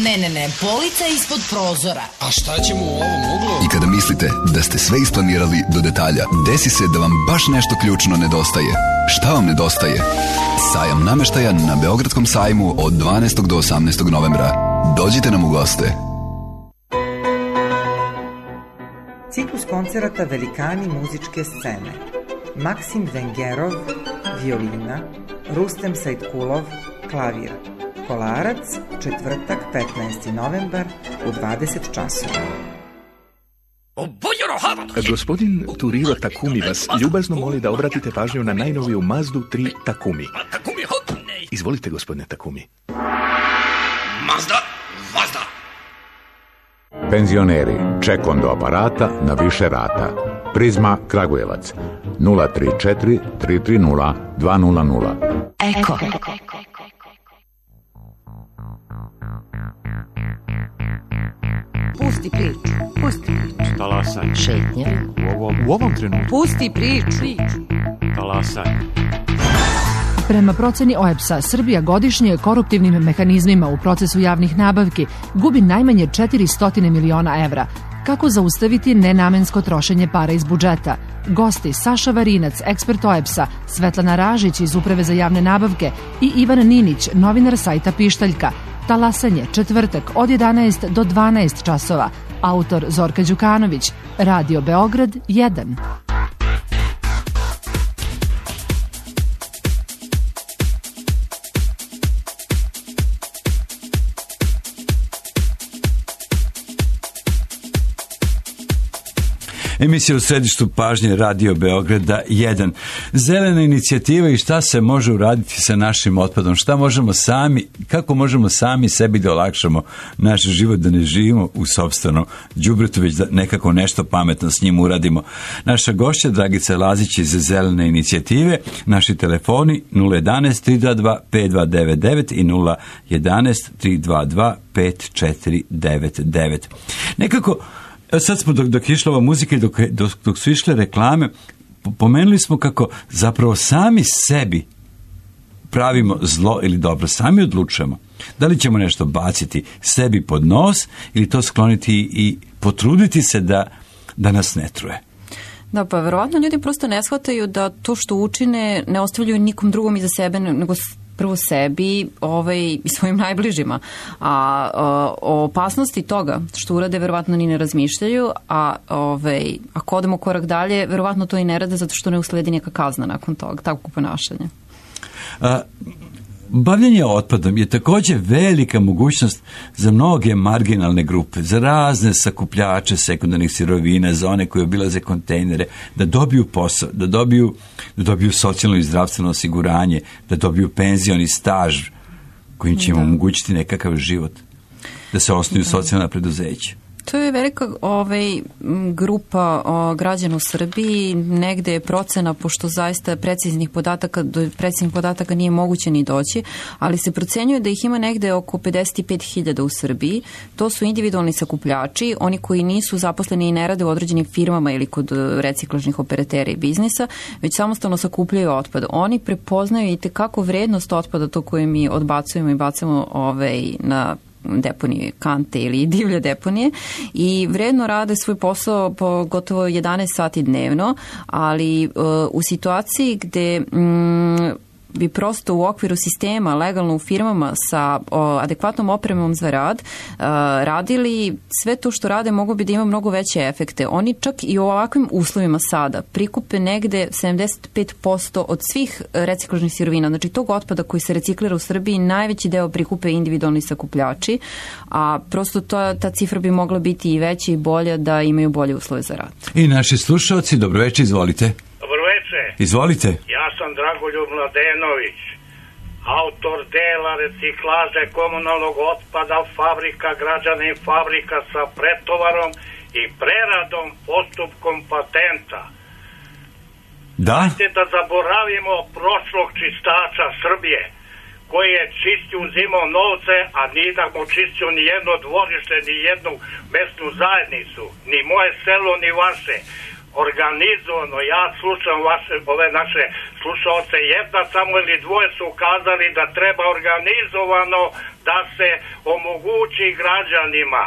Ne, ne, ne, polica ispod prozora. A šta ćemo u ovom uglu? I kada mislite da ste sve isplanirali do detalja, desi se da vam baš nešto ključno nedostaje. Šta vam nedostaje? Sajam nameštaja na Beogradskom sajmu od dvanaestog do osamnaestog novembra. Dođite nam u goste. Ciklus koncerata Velikani muzičke scene. Maksim Vengerov, violina, Rustem Sajtkulov, klavir. Kolarac, četvrtak, petnaesti novembar u dvadeset časova. Gospodin Turiro Takumi vas ljubazno moli da obratite pažnju na najnoviju Mazdu tri Takumi. Izvolite, gospodine Takumi. Mazda, Mazda. Penzioneri, ček on do aparata na više rata. Prizma Kragujevac nula tri četiri tri tri nula dva nula nula. Eko. Pusti priču, pusti priču. Talasaj. Šetnja. U ovom, u ovom trenutku. Pusti priču. Talasaj. Prema proceni O E B S-a, Srbija godišnje koruptivnim mehanizmima u procesu javnih nabavki gubi najmanje četiristo miliona evra. Kako zaustaviti nenamensko trošenje para iz budžeta? Gosti Saša Varinac, ekspert O E B S-a, Svetlana Ražić iz Uprave za javne nabavke i Ivan Ninić, novinar sajta Pištaljka. Talasanje, četvrtak od jedanaest do dvanaest časova. Autor Zorka Đukanović. Radio Beograd jedan. Emisija u središtu pažnje Radio Beograda jedan. Zelena inicijativa i šta se može uraditi sa našim otpadom, šta možemo sami, kako možemo sami sebi da olakšamo naš život, da ne živimo u sopstvenom đubretu, već da nekako nešto pametno s njim uradimo. Naša gošća Dragica Lazić iz Zelene inicijative, naši telefoni nula jedanaest tri dva dva pet dva devet devet i nula jedanaest tri dva dva pet četiri devet devet. Nekako sad smo, dok, dok je išla ova muzika i dok, dok, dok su išle reklame, pomenuli smo kako zapravo sami sebi pravimo zlo ili dobro, sami odlučujemo. Da li ćemo nešto baciti sebi pod nos ili to skloniti i potruditi se da, da nas ne truje. Da, pa verovatno ljudi prosto ne shvataju da to što učine ne ostavljaju nikom drugom iza sebe, nego prvo sebi ovaj, i svojim najbližima. A, a o opasnosti toga što urade verovatno ni ne razmišljaju, a ovaj, ako odemo korak dalje, verovatno to i ne rade zato što ne usledi neka kazna nakon toga, takvo ponašanje. A, bavljanje otpadom je također velika mogućnost za mnoge marginalne grupe, za razne sakupljače sekundarnih sirovina, za one koji obilaze kontejnere, da dobiju posao, da dobiju, da dobiju socijalno i zdravstveno osiguranje, da dobiju penzioni staž kojim će im omogućiti nekakav život, da se osnuju da. socijalna preduzeća. To je velika ovaj, grupa o, građana u Srbiji, negde je procena, pošto zaista preciznih podataka, do preciznih podataka nije moguće ni doći, ali se procenjuje da ih ima negde oko pedeset pet hiljada u Srbiji. To su individualni sakupljači, oni koji nisu zaposleni i ne rade u određenim firmama ili kod reciklažnih operatera i biznisa, već samostalno sakupljaju otpad. Oni prepoznaju i tekako vrednost otpada, to koje mi odbacujemo i bacamo ovaj, na deponije Kante ili divlje deponije i vredno rade svoj posao po gotovo jedanaest sati dnevno, ali u situaciji gde mm, bi prosto u okviru sistema, legalno u firmama sa o, adekvatnom opremom za rad, a, radili sve to što rade mogu bi da ima mnogo veće efekte. Oni čak i u ovakvim uslovima sada prikupe negde sedamdeset pet posto od svih reciklažnih sirovina. Znači tog otpada koji se reciklira u Srbiji najveći deo prikupe individualni sakupljači, a prosto to, ta cifra bi mogla biti i veća i bolja da imaju bolje uslove za rad. I naši slušalci, dobroveče, izvolite. Izvolite. Ja sam Dragoljub Mladenović, autor dela reciklaže komunalnog otpada fabrika, građanin fabrika sa pretovarom i preradom postupkom patenta. Da? Dajte da zaboravimo prošlog čistača Srbije, koji je čistio, uzimao novce, a nije da mu čistio ni jedno dvorište, ni jednu mesnu zajednicu, ni moje selo, ni vaše. Organizovano, ja slušam vaše, ove naše slušalce, jedna samo ili dvoje su ukazali da treba organizovano da se omogući građanima,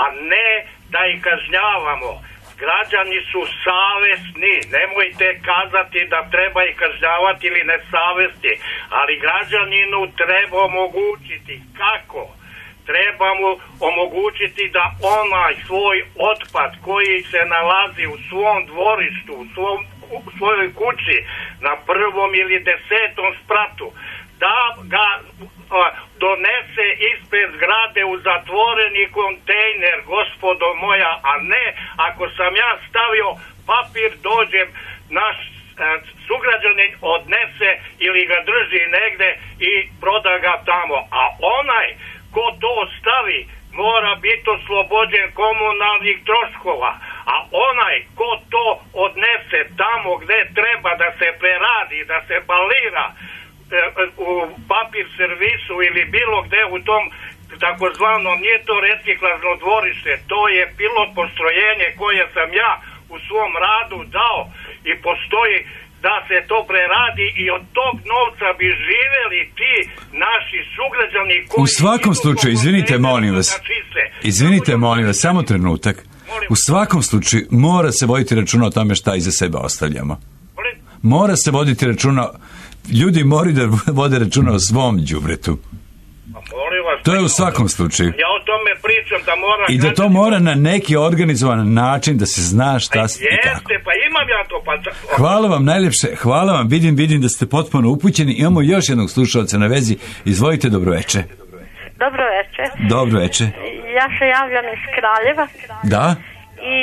a ne da ih kažnjavamo. Građani su savesni, nemojte kazati da treba ih kažnjavati ili nesavesti, ali građaninu treba omogućiti. Kako? Treba mu omogućiti da onaj svoj otpad koji se nalazi u svom dvorištu, u, svom, u svojoj kući, na prvom ili desetom spratu, da ga a, donese ispred zgrade u zatvoreni kontejner, gospodo moja, a ne ako sam ja stavio papir, dođem, naš a, sugrađanin odnese ili ga drži negde i proda ga tamo, a onaj ko to stavi mora biti oslobođen komunalnih troškova, a onaj ko to odnese tamo gde treba da se preradi, da se balira e, u papir servisu ili bilo gde u tom takozvano, nije to reciklažno dvorište, to je pilot postrojenje koje sam ja u svom radu dao i postoji da se to preradi i od tog novca bi živeli ti naši sugrađani koji... U svakom slučaju, izvinite molim vas, izvinite molim vas, samo trenutak. U svakom slučaju mora se voditi računa o tome šta iza sebe ostavljamo. Mora se voditi računa, ljudi moraju da vode računa o svom đubretu. To je u svakom slučaju. Ja o tome pričam da mora... I da to mora na neki organizovan način da se zna šta se i kako. Jeste, pa imam ja to. Pa... Hvala vam najljepše, hvala vam, vidim, vidim da ste potpuno upućeni. Imamo još jednog slušalca na vezi. Izvolite, dobroveče. Dobroveče. Dobroveče. Ja se javljam iz Kraljeva. Da? I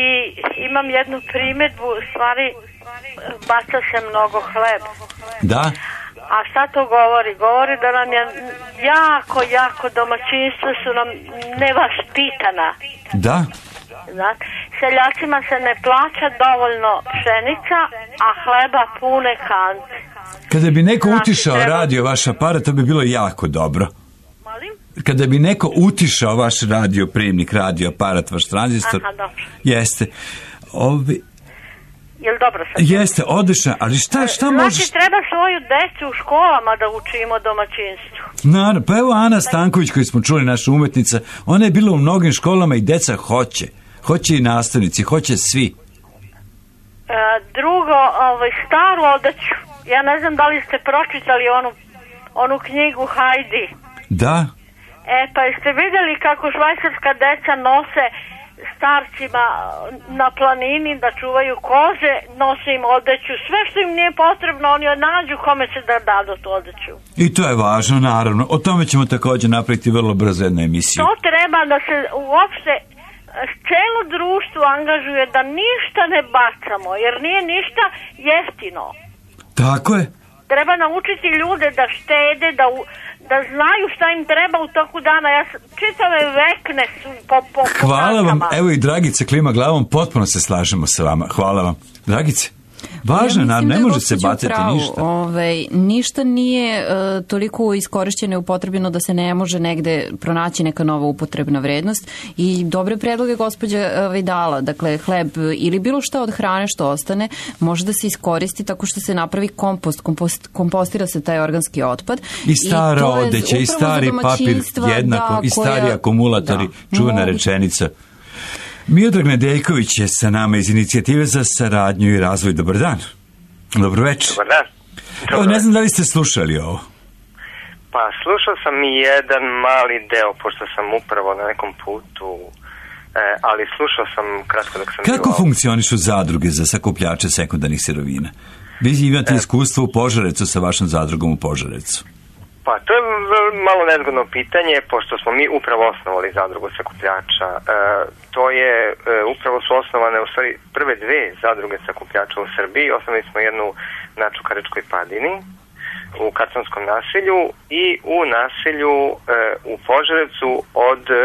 imam jednu primjedbu, u stvari baca se mnogo hleba. Da? A šta to govori? Govori da nam je jako, jako domaćinstva su nam nevaspitana. Da? Znate, seljacima se ne plaća dovoljno pšenica, a hleba pune kante. Kada bi neko znači, utišao treba... radio vaš aparat, to bi bilo jako dobro. Molim? Kada bi neko utišao vaš radio primnik, radio aparat, vaš tranzistor. Aha, dobro. Jeste. Ovi... Jel dobro sad? Jeste, odlično, ali šta, šta znači, možeš... Znači, treba svoju decu u školama da učimo domaćinstvu. Naravno, pa evo Ana Stanković koju smo čuli, naša umetnica, ona je bila u mnogim školama i deca hoće. Hoće i nastavnici, hoće svi. E, drugo, ovaj, staru odeću. Ja ne znam da li ste pročitali onu, onu knjigu Hajdi. Da. E, pa jeste vidjeli kako švajcarska deca nose starcima na planini da čuvaju koze, nose im odeću, sve što im nije potrebno, oni nađu kome će da dadu tu odeću. I to je važno, naravno. O tome ćemo također napraviti vrlo brzo jednu emisiju. To treba da se uopšte celo društvo angažuje da ništa ne bacamo, jer nije ništa jeftino. Tako je. Treba naučiti ljude da štede, da, u, da znaju šta im treba u toku dana. Ja čitave vekne su po, po, po Hvala vam, kakama. evo i Dragica klima glavom, potpuno se slažemo sa vama. Hvala vam. Dragice? Važno, ja ne da može se gospođa bacati pravu. ništa. Ovaj, ništa nije uh, toliko iskorišćeno i upotrebljeno da se ne može negde pronaći neka nova upotrebna vrednost i dobre predloge gospođa ovaj, dala. Dakle, hleb ili bilo šta od hrane što ostane može da se iskoristi tako što se napravi kompost, kompost kompostira se taj organski otpad. I stara odeća, i stari papir jednako, da, i stari koja... akumulatori, da. čuvena Mogu... rečenica. Miodrag Nedeljković je sa nama iz Inicijative za saradnju i razvoj. Dobar dan. Dobro večer. Dobar dan. Dobar. Ne znam da li ste slušali ovo. Pa slušao sam i jedan mali deo, pošto sam upravo na nekom putu, e, ali slušao sam kratko dok sam... Kako bio... funkcionišu zadruge za sakupljače sekundarnih sirovina? Vi imate e... iskustvo u Požarecu sa vašom zadrugom u Požarecu. Pa to je malo nezgodno pitanje, pošto smo mi upravo osnovali zadrugu sakupljača. E, to je, e, upravo su osnovane u stvari prve dve zadruge sakupljača u Srbiji. Osnovali smo jednu na Čukaričkoj padini, u Kaconskom naselju i u naselju e, u Požarevcu od e,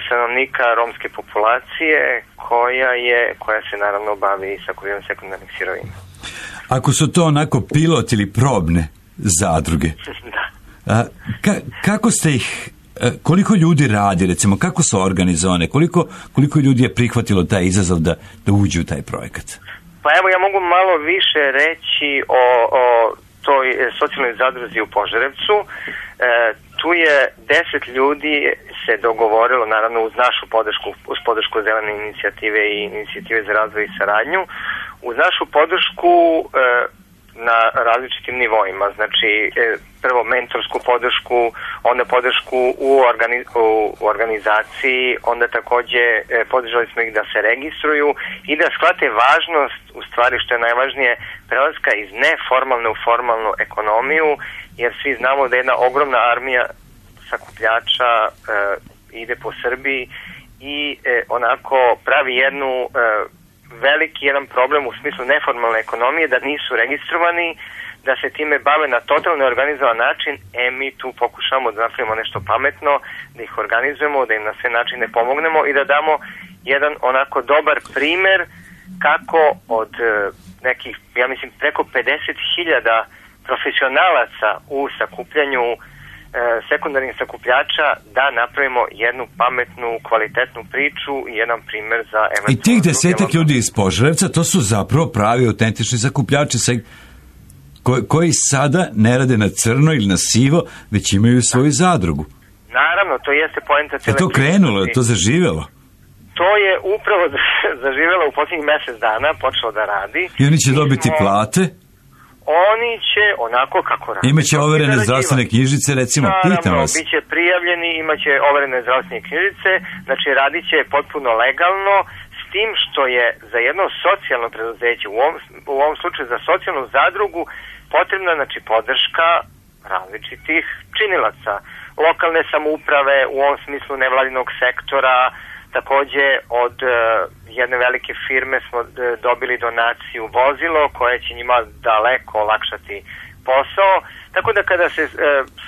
stanovnika romske populacije koja je, koja se naravno bavi sakupljanjem sekundarnih sirovina. Ako su to onako pilot ili probne zadruge. Da. A, ka, kako ste ih, koliko ljudi radi, recimo, kako su organizovane, koliko, koliko ljudi je prihvatilo taj izazov da, da uđu u taj projekat? Pa evo, ja mogu malo više reći o, o toj socijalnoj zadruzi u Požarevcu. E, tu je deset ljudi se dogovorilo, naravno uz našu podršku, uz podršku Zelene inicijative i Inicijative za razvoj i saradnju, uz našu podršku e, na različitim nivoima, znači prvo mentorsku podršku, onda podršku u, organi, u organizaciji, onda takođe podržali smo ih da se registruju i da shvate važnost, u stvari što je najvažnije, prelaska iz neformalne u formalnu ekonomiju, jer svi znamo da jedna ogromna armija sakupljača e, ide po Srbiji i e, onako pravi jednu e, veliki jedan problem u smislu neformalne ekonomije, da nisu registrovani, da se time bave na totalno organizovan način. E, mi tu pokušamo da napravimo nešto pametno, da ih organizujemo, da im na sve načine pomognemo i da damo jedan onako dobar primer kako od nekih, ja mislim, preko pedeset hiljada profesionalaca u sakupljanju sekundarnih sakupljača da napravimo jednu pametnu, kvalitetnu priču i jedan primer za eventualno... I tih desetak ljudi iz Požarevca, to su zapravo pravi, autentični sakupljači koji, koji sada ne rade na crno ili na sivo, već imaju svoju zadrugu. Naravno, to jeste poenta cijele... Je to krenulo, je to zaživelo? To je upravo zaživelo u posljednjih mesec dana, počelo da radi. I oni će dobiti smo... plate? Oni će onako kako radi. Imaće overene zdravstvene knjižice, recimo, naravno, pitam vas. Biće prijavljeni, imaće overene zdravstvene knjižice, znači radit će potpuno legalno, s tim što je za jedno socijalno preduzeće, u ovom, u ovom slučaju za socijalnu zadrugu, potrebna znači podrška različitih činilaca. Lokalne samouprave, u ovom smislu nevladinog sektora, takođe od uh, jedne velike firme smo uh, dobili donaciju vozilo koje će njima daleko olakšati posao. Tako da kada se uh,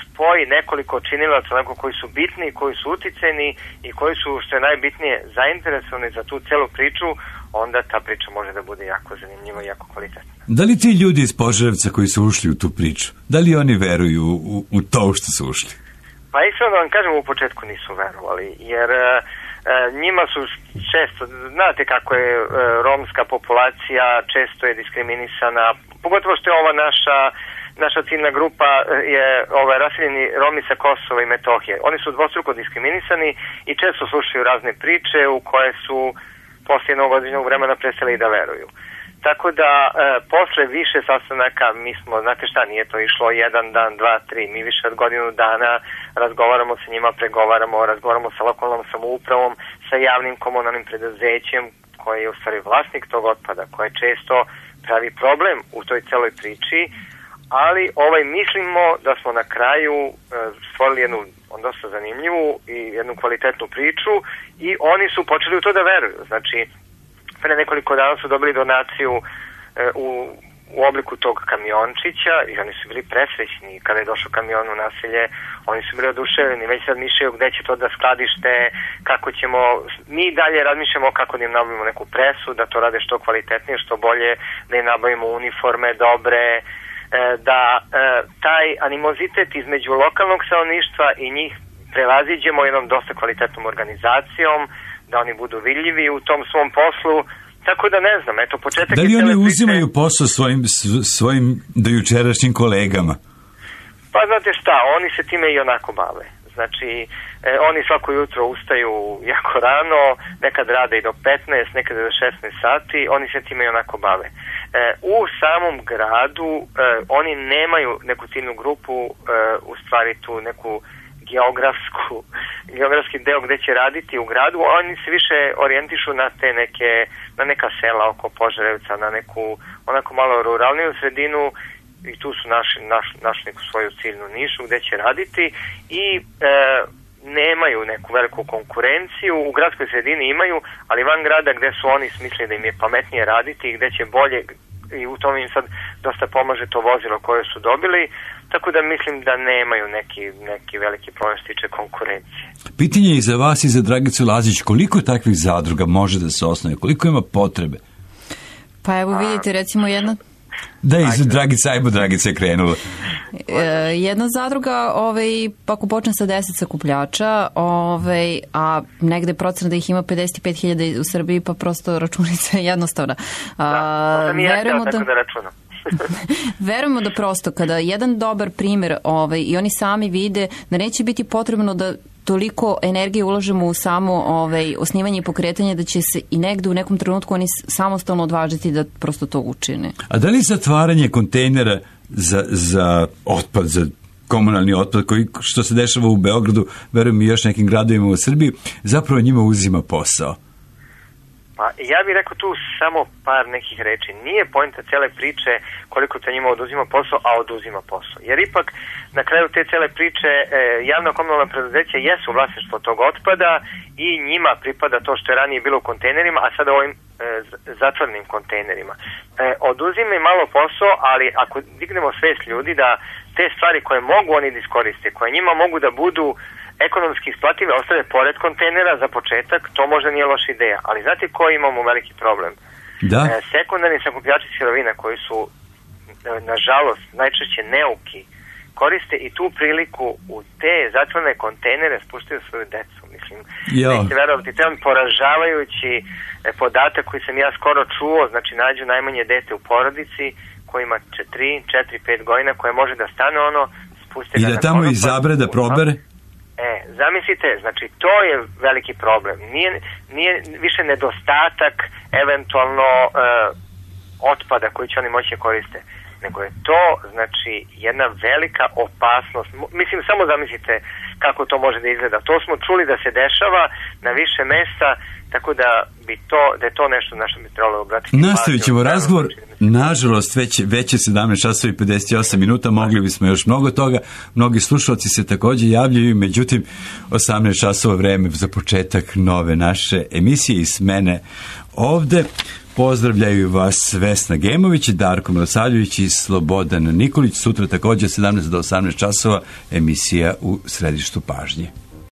spoji nekoliko činilaca onako koji su bitni, koji su uticajni i koji su, što je najbitnije, zainteresovani za tu celu priču, onda ta priča može da bude jako zanimljiva i jako kvalitetna. Da li ti ljudi iz Požarevca koji su ušli u tu priču, da li oni veruju u, u to što su ušli? Pa iskreno da vam kažem, u početku nisu verovali, jer uh, njima su često, znate kako je uh, romska populacija često je diskriminisana, pogotovo što je ova naša naša ciljna grupa je ovaj, raseljeni Romi sa Kosova i Metohije. Oni su dvostruko diskriminisani i često slušaju razne priče u koje su posle jednog određenog vremena prestali da veruju. Tako da, e, posle više sastanaka, mi smo, znate šta, nije to išlo jedan dan, dva, tri, mi više od godinu dana razgovaramo sa njima, pregovaramo, razgovaramo sa lokalnom samoupravom, sa javnim komunalnim preduzećem, koji je u stvari vlasnik tog otpada, koje često pravi problem u toj celoj priči, ali ovaj mislimo da smo na kraju e, stvorili jednu dosta zanimljivu i jednu kvalitetnu priču i oni su počeli u to da veruju. Znači, pre nekoliko dana su dobili donaciju e, u, u obliku tog kamiončića i oni su bili presrećni. Kada je došao kamion u naselje, oni su bili oduševljeni, već sad mišljaju gde će to da skladište, kako ćemo, mi dalje razmišljamo kako da im nabavimo neku presu, da to rade što kvalitetnije, što bolje, da im nabavimo uniforme dobre, da taj animozitet između lokalnog stanovništva i njih prevaziđemo jednom dosta kvalitetnom organizacijom, da oni budu vidljivi u tom svom poslu. Tako da ne znam, eto početak... Da li oni priče... uzimaju posao svojim, svojim dojučerašnjim kolegama? Pa znate šta, oni se time i onako bave. Znači, e, oni svako jutro ustaju jako rano, nekad rade i do petnaest, nekad do šesnaest sati, oni se time i onako bave. E, u samom gradu e, oni nemaju neku ciljnu grupu, e, u stvari tu neku geografsku, geografski deo gde će raditi u gradu, oni se više orijentišu na te neke, na neka sela oko Požarevca, na neku onako malo ruralniju sredinu i tu su naši, naš, našli neku svoju ciljnu nišu gde će raditi i e, nemaju neku veliku konkurenciju, u gradskoj sredini imaju, ali van grada gde su oni smislili da im je pametnije raditi i gde će bolje, i u tom im sad dosta pomaže to vozilo koje su dobili, tako da mislim da nemaju neki, neki veliki problem što tiče konkurencije. Pitanje je i za vas i za Dragicu Lazić, koliko takvih zadruga može da se osnovi, koliko ima potrebe? Pa evo vidite, recimo jedna... Da, i za Dragica, ajmo Dragica je krenula. E, jedna zadruga, ovaj, ako počne sa deset sakupljača, ovaj, a negde procena da ih ima pedeset pet hiljada u Srbiji, pa prosto računica je jednostavna. A, da, mi je verujemo tako da... da računam. Verujemo da prosto kada jedan dobar primjer ovaj, i oni sami vide da neće biti potrebno da toliko energije ulažemo u samo ovaj, osnivanje i pokretanje da će se i negde u nekom trenutku oni samostalno odvažiti da prosto to učine. A da li zatvaranje kontejnera za, za otpad, za komunalni otpad koji što se dešava u Beogradu, verujem i još nekim gradovima u Srbiji, zapravo njima uzima posao? Pa ja bih rekao tu samo par nekih reči. Nije poenta cele priče koliko to njima oduzima posao, a oduzima posao. Jer ipak na kraju te cele priče e, javno komunalno preduzeće jesu vlasništvo tog otpada i njima pripada to što je ranije bilo u kontejnerima, a sada ovim e, zatvornim kontejnerima. E, oduzima im malo posao, ali ako dignemo svest ljudi da te stvari koje mogu oni da iskoriste, koje njima mogu da budu ekonomski isplative, ostave pored kontejnera za početak, to možda nije loša ideja. Ali znate koji imamo veliki problem? Da. E, sekundarni sakupljači sirovina koji su, e, nažalost, najčešće neuki, koriste i tu priliku u te zatvorene kontejnere spuštaju svoju decu. Mislim, nećete verovati, to je poražavajući e, podatak koji sam ja skoro čuo, znači nađu najmanje dete u porodici koji ima tri, četiri, pet godina, koje može da stane ono, spuste i ga da na tamo konopac, izabre da probere? E, zamislite, znači to je veliki problem. Nije, nije više nedostatak eventualno e, otpada koji će oni moći koriste, nego je to, znači, jedna velika opasnost. Mislim, samo zamislite kako to može da izgleda. To smo čuli da se dešava na više mesta, tako da bi to, da je to nešto na što bi trebalo obratiti. Nastavit ćemo razgovor. Nažalost, već, već je sedamnaest časova i pedeset osam minuta, mogli bismo još mnogo toga. Mnogi slušalci se također javljaju, međutim, osamnaest časova vreme za početak nove naše emisije iz mene ovde. Pozdravljaju vas Vesna Gemović, Darko Milosavljević i Slobodan Nikolić. Sutra također sedamnaest do osamnaest časova emisija u središtu pažnje.